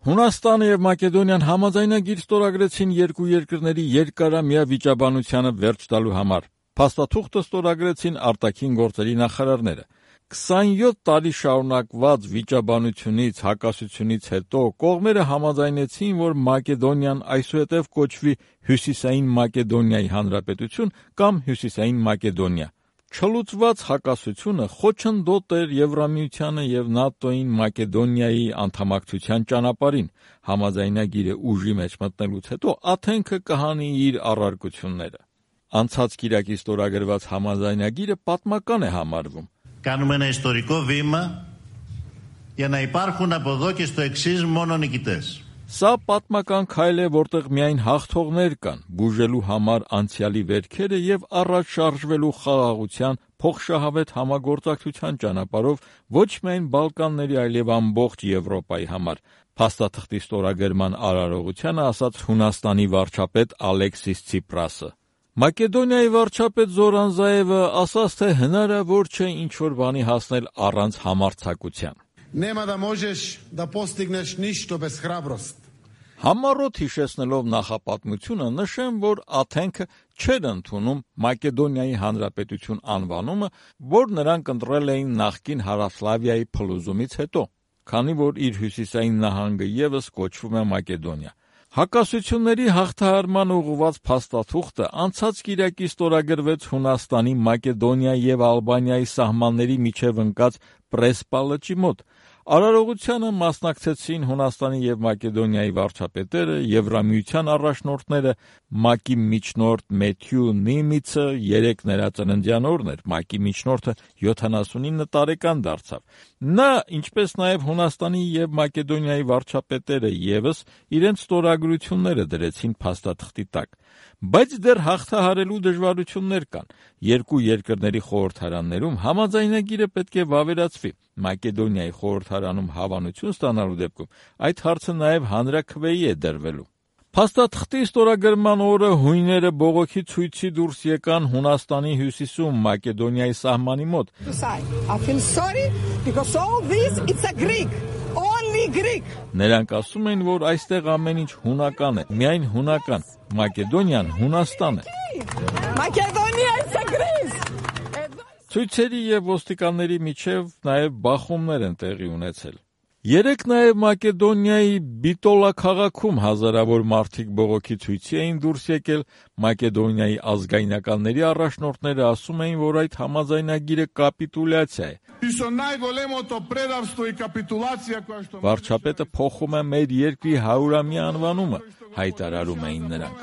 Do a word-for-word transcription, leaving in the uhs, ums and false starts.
Հունաստանը եւ Մակեդոնիան համաձայնագիր ստորագրեցին երկու երկրների երկարամյա վիճաբանությանը վերջ տալու համար։ Փաստաթուղթը ստորագրեցին արտաքին գործերի նախարարները։ քսանյոթ տարի շարունակված վիճաբանությունից, հակասությունից հետո կողմերը համաձայնեցին, որ Մակեդոնիան այսուհետև կոչվի Հյուսիսային Մակեդոնիայի Հանրապետություն կամ Հյուսիսային Մակեդոնիա։ Չլուծված հակասությունը խոչընդոտ էր Եվրամիությանը եւ ՆԱՏՕ-ին Մակեդոնիայի անդամակցության ճանապարհին։ Համաձայնագիրը ուժի մեջ մտնելուց հետո Աթենքը կհանի իր առարկությունները։ Անցած կիրակի ստորագրված համաձայնագիրը պատմական է համարվում։ Κάνουμε ένα ιστορικό βήμα για να υπάρχουν από εδώ και στο εξής μόνο νικητές. Սա պատմական քայլ է, որտեղ միայն հաղթողներ կան, բուժելու համար անցյալի վերքերը եւ առաջ շարժվելու խաղաղության փոխշահավետ համագործակցության ճանապարհով ոչ միայն Բալկանների, այլև ամբողջ Եվրոպայի համար։ Փաստաթղթի ստորագրման արարողությանը ասաց Հունաստանի վարչապետ Ալեքսիս Ցիպրասը։ Մակեդոնիայի վարչապետ Զորան Զաևը ասաց, թե հնարավոր չէ ինչ-որ բանի հասնել առանց համարձակության։ Նема да можеш да постигнеш ништо без храброст. Համառոտ հիշեցնելով նախապատմությունը նշեմ, որ Աթենքը չէր ընդունում Մակեդոնիայի Հանրապետություն անվանումը, որ նրանք ընտրել էին նախկին Հարավսլավիայի փլուզումից հետո, քանի որ իր հյուսիսային նահանգը ևս կոչվում է Մակեդոնիա։ Հակասությունների հաղթահարման ուղղված փաստաթուղթը անցած կիրակի ստորագրվեց Հունաստանի, Մակեդոնիայի եւ Ալբանիայի սահմանների միջև ընկած Պրեսպա լճի մոտ։ Արարողությանը մասնակցեցին Հունաստանի եւ Մակեդոնիայի վարչապետերը, Եվրամիության առաջնորդները, ՄԱԿ-ի միջնորդ Մեթյու Նիմիցը երեք նրածննդյան օրն էր, ՄԱԿ-ի միջնորդը յոթանասունինը տարեկան դարձավ։ Նա, ինչպես նաեւ Հունաստանի եւ Մակեդոնիայի վարչապետերը ևս իրենց ստորագրությունները դրեցին փաստաթղթի տակ։ Բայց դեռ հաղթահարելու դժվարություններ կան։ Երկու երկրների խորհրդարաններում համաձայնագիրը պետք է վավերացվի։ Մակեդոնիայի խորհրդարանում հավանություն ստանալու դեպքում այդ հարցը նաև հանրաքվեի է դրվելու։ Փաստաթղթի ստորագրման օրը հույները բողոքի ցույցի դուրս եկան Հունաստանի հյուսիսում Մակեդոնիայի սահմանի մոտ։ I feel sorry because all this it's a Greek. Only Greek. Նրանք ասում են, որ այստեղ ամեն ինչ հունական է, միայն հունական։ Մակեդոնիան Հունաստան է։ Macedonia is a Greece. Ցույցերի եւ ոստիկանների միջև նաեւ բախումներ են տեղի ունեցել։ Երեք նաեւ Մակեդոնիայի Բիտոլա քաղաքում հազարավոր մարդիկ բողոքի ցույցի էին դուրս եկել։ Մակեդոնիայի ազգայնականների առաջնորդները ասում էին, որ այդ համաձայնագիրը կապիտուլյացիա է։ Վարչապետը փոխում է մեր երկրի հարյուրամյա անվանումը, հայտարարում էին նրանք։